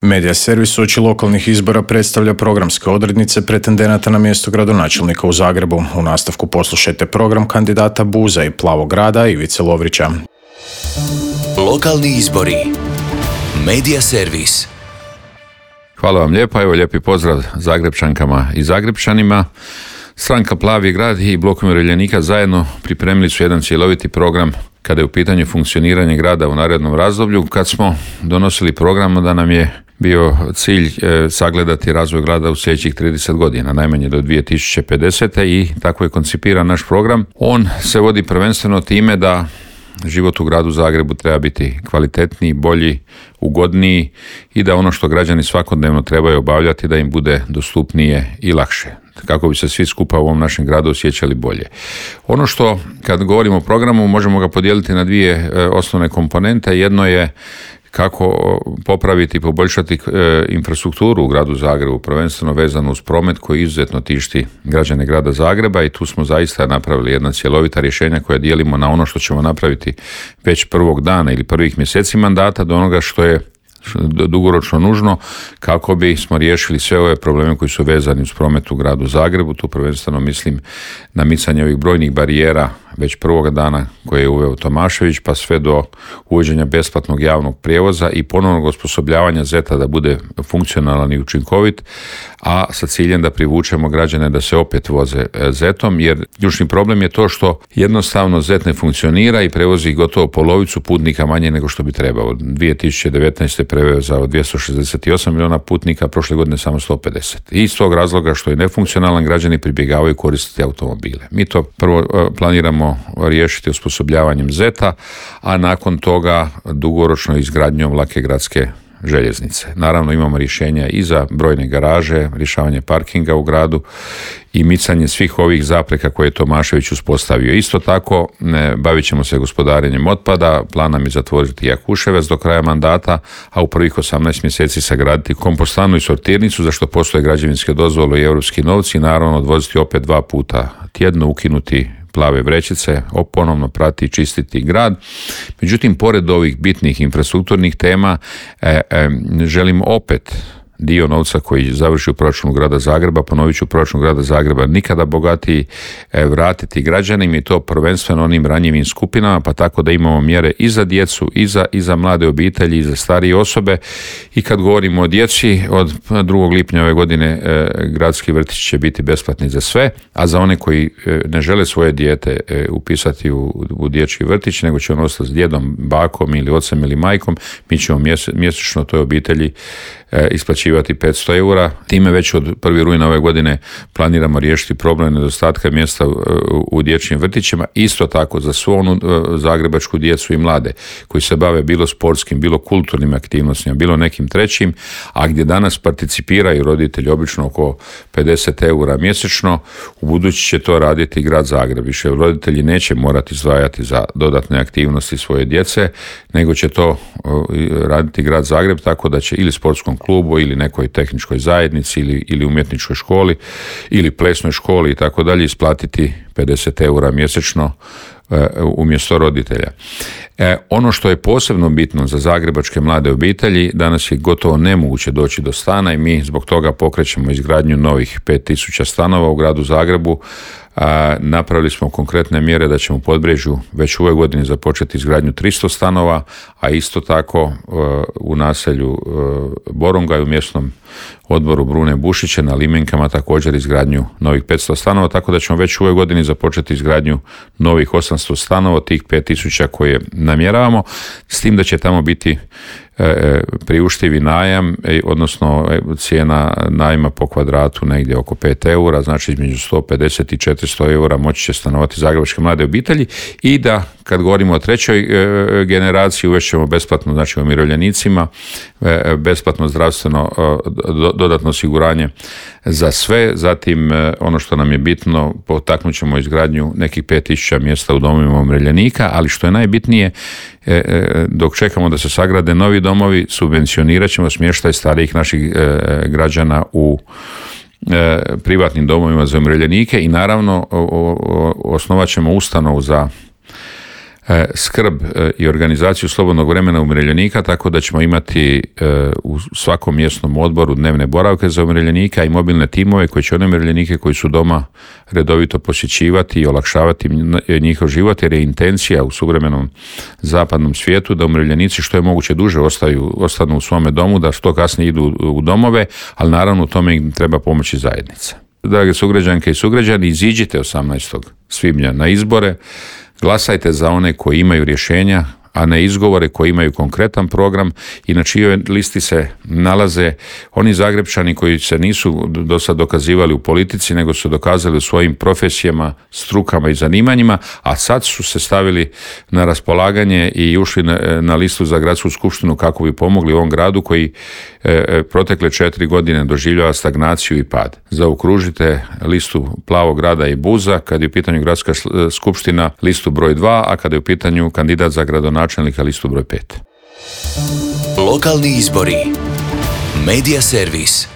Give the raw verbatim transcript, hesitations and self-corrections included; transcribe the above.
Medija servis uoči lokalnih izbora predstavlja programske odrednice pretendenata na mjesto gradonačelnika u Zagrebu. U nastavku poslušajte program kandidata Buza i Plavog grada Ivice Lovrića. Lokalni izbori. Medija servis. Hvala vam lijepa, evo lijepi pozdrav Zagrebčankama i Zagrebčanima. Stranka Plavi grad i Blok umirovljenika zajedno pripremili su jedan cjeloviti program kada je u pitanju funkcioniranje grada u narednom razdoblju. Kad smo donosili program, da nam je bio cilj e, sagledati razvoj grada u sljedećih trideset godina, najmanje do dvije tisuće pedesete. i tako je koncipiran naš program. On se vodi prvenstveno time da život u gradu Zagrebu treba biti kvalitetniji, bolji, ugodniji i da ono što građani svakodnevno trebaju obavljati da im bude dostupnije i lakše, kako bi se svi skupa u ovom našem gradu osjećali bolje. Ono što, kad govorimo o programu, možemo ga podijeliti na dvije e, osnovne komponente. Jedno je kako popraviti i poboljšati e, infrastrukturu u gradu Zagrebu, prvenstveno vezano uz promet koji izuzetno tišti građane grada Zagreba, i tu smo zaista napravili jedna cjelovita rješenja koja dijelimo na ono što ćemo napraviti već prvog dana ili prvih mjeseci mandata do onoga što je dugoročno nužno kako bi smo riješili sve ove probleme koji su vezani uz promet u gradu Zagrebu. Tu prvenstveno mislim na micanje ovih brojnih barijera već prvoga dana koje je uveo Tomašević, pa sve do uvođenja besplatnog javnog prijevoza i ponovnog osposobljavanja zeta da bude funkcionalan i učinkovit, a sa ciljem da privučemo građane da se opet voze zetom, jer ključni problem je to što jednostavno zet ne funkcionira i prevozi gotovo polovicu putnika manje nego što bi trebao. dvije tisuće devetnaeste prevezao dvjesto šezdeset osam milijuna putnika, prošle godine samo sto pedeset. I iz tog razloga što je nefunkcionalan, građani pribjegavaju koristiti automobile. Mi to prvo planiramo riješiti osposobljavanjem zeta, a nakon toga dugoročno izgradnjom lake gradske željeznice. Naravno imamo rješenja i za brojne garaže, rješavanje parkinga u gradu i micanje svih ovih zapreka koje je Tomašević uspostavio. Isto tako ne, bavit ćemo se gospodarenjem otpada, plan nam je zatvoriti Jakuševac do kraja mandata, a u prvih osamnaest mjeseci sagraditi kompostanu i sortirnicu, za što postoje građevinske dozvole i europski novci, i naravno odvoziti opet dva puta tjedno, ukinuti plave vrećice, ponovno prati i čistiti grad. Međutim, pored ovih bitnih infrastrukturnih tema, e, e, želim opet dio novca koji završi u proračunu grada Zagreba, ponovit ću, u proračunu grada Zagreba nikada bogatiji, e, vratiti građanima, i to prvenstveno onim ranjivim skupinama, pa tako da imamo mjere i za djecu, i za, i za mlade obitelji, i za starije osobe. I kad govorimo o djeci, od drugog lipnja ove godine e, gradski vrtić će biti besplatni za sve, a za one koji e, ne žele svoje dijete e, upisati u, u dječji vrtić, nego će on ostati s djedom, bakom ili ocem ili majkom, mi ćemo mjese, mjesečno toj obitelji e, isplaćivati petsto eura. Time već od prvog rujna ove godine planiramo riješiti problem nedostatka mjesta u, u dječjim vrtićima. Isto tako za svu onu zagrebačku djecu i mlade koji se bave bilo sportskim, bilo kulturnim aktivnostima, bilo nekim trećim, a gdje danas participiraju roditelji obično oko pedeset eura mjesečno, u budući će to raditi grad Zagreb. Više roditelji neće morati izdvajati za dodatne aktivnosti svoje djece, nego će to raditi grad Zagreb, tako da će ili sportskom klubu ili nekoj tehničkoj zajednici ili, ili umjetničkoj školi ili plesnoj školi i tako dalje isplatiti pedeset eura mjesečno e, umjesto roditelja. E, ono što je posebno bitno za zagrebačke mlade obitelji, danas je gotovo nemoguće doći do stana i mi zbog toga pokrećemo izgradnju novih pet tisuća stanova u gradu Zagrebu. A, napravili smo konkretne mjere da ćemo u Podbrežju već u ovoj godini započeti izgradnju tristo stanova, a isto tako uh, u naselju uh, Borongaj u mjesnom odboru Brune Bušiće na Limenkama također izgradnju novih petsto stanova, tako da ćemo već u ovoj godini započeti izgradnju novih osamsto stanova, tih pet tisuća koje namjeravamo, s tim da će tamo biti priuštivi najam, odnosno cijena najma po kvadratu negdje oko pet eura, znači između sto pedeset i četiristo eura moći će stanovati zagrebačke mlade obitelji. I da kad govorimo o trećoj generaciji, uvešćemo besplatno, znači umirovljenicima, besplatno zdravstveno dodatno osiguranje za sve. Zatim ono što nam je bitno, potaknut ćemo izgradnju nekih pet tisuća mjesta u domovima umirovljenika, ali što je najbitnije, dok čekamo da se sagrade novi domovi, subvencionirat ćemo smještaj starijih naših građana u privatnim domovima za umirovljenike i naravno osnovat ćemo ustanovu za skrb i organizaciju slobodnog vremena umirovljenika, tako da ćemo imati u svakom mjesnom odboru dnevne boravke za umirovljenika i mobilne timove koji će one umirovljenike koji su doma redovito posjećivati i olakšavati njihov život, jer je intencija u suvremenom zapadnom svijetu da umirovljenici što je moguće duže ostaju, ostanu u svome domu, da što kasnije idu u domove, ali naravno u tome im treba pomoći zajednica. Drage sugrađanke i sugrađani, iziđite osamnaestog svibnja na izbore, glasajte za one koji imaju rješenja, a ne izgovore, koji imaju konkretan program i na čijoj listi se nalaze oni Zagrepčani koji se nisu do sad dokazivali u politici, nego su dokazali u svojim profesijama, strukama i zanimanjima, a sad su se stavili na raspolaganje i ušli na, na listu za gradsku skupštinu kako bi pomogli ovom gradu koji e, protekle četiri godine doživljava stagnaciju i pad. Zaokružite listu Plavog grada i Buza, kad je u pitanju gradska skupština listu broj dva, a kada je u pitanju kandidat za gradonačelnika listu broj pet. Lokalni izbori. Medija servis.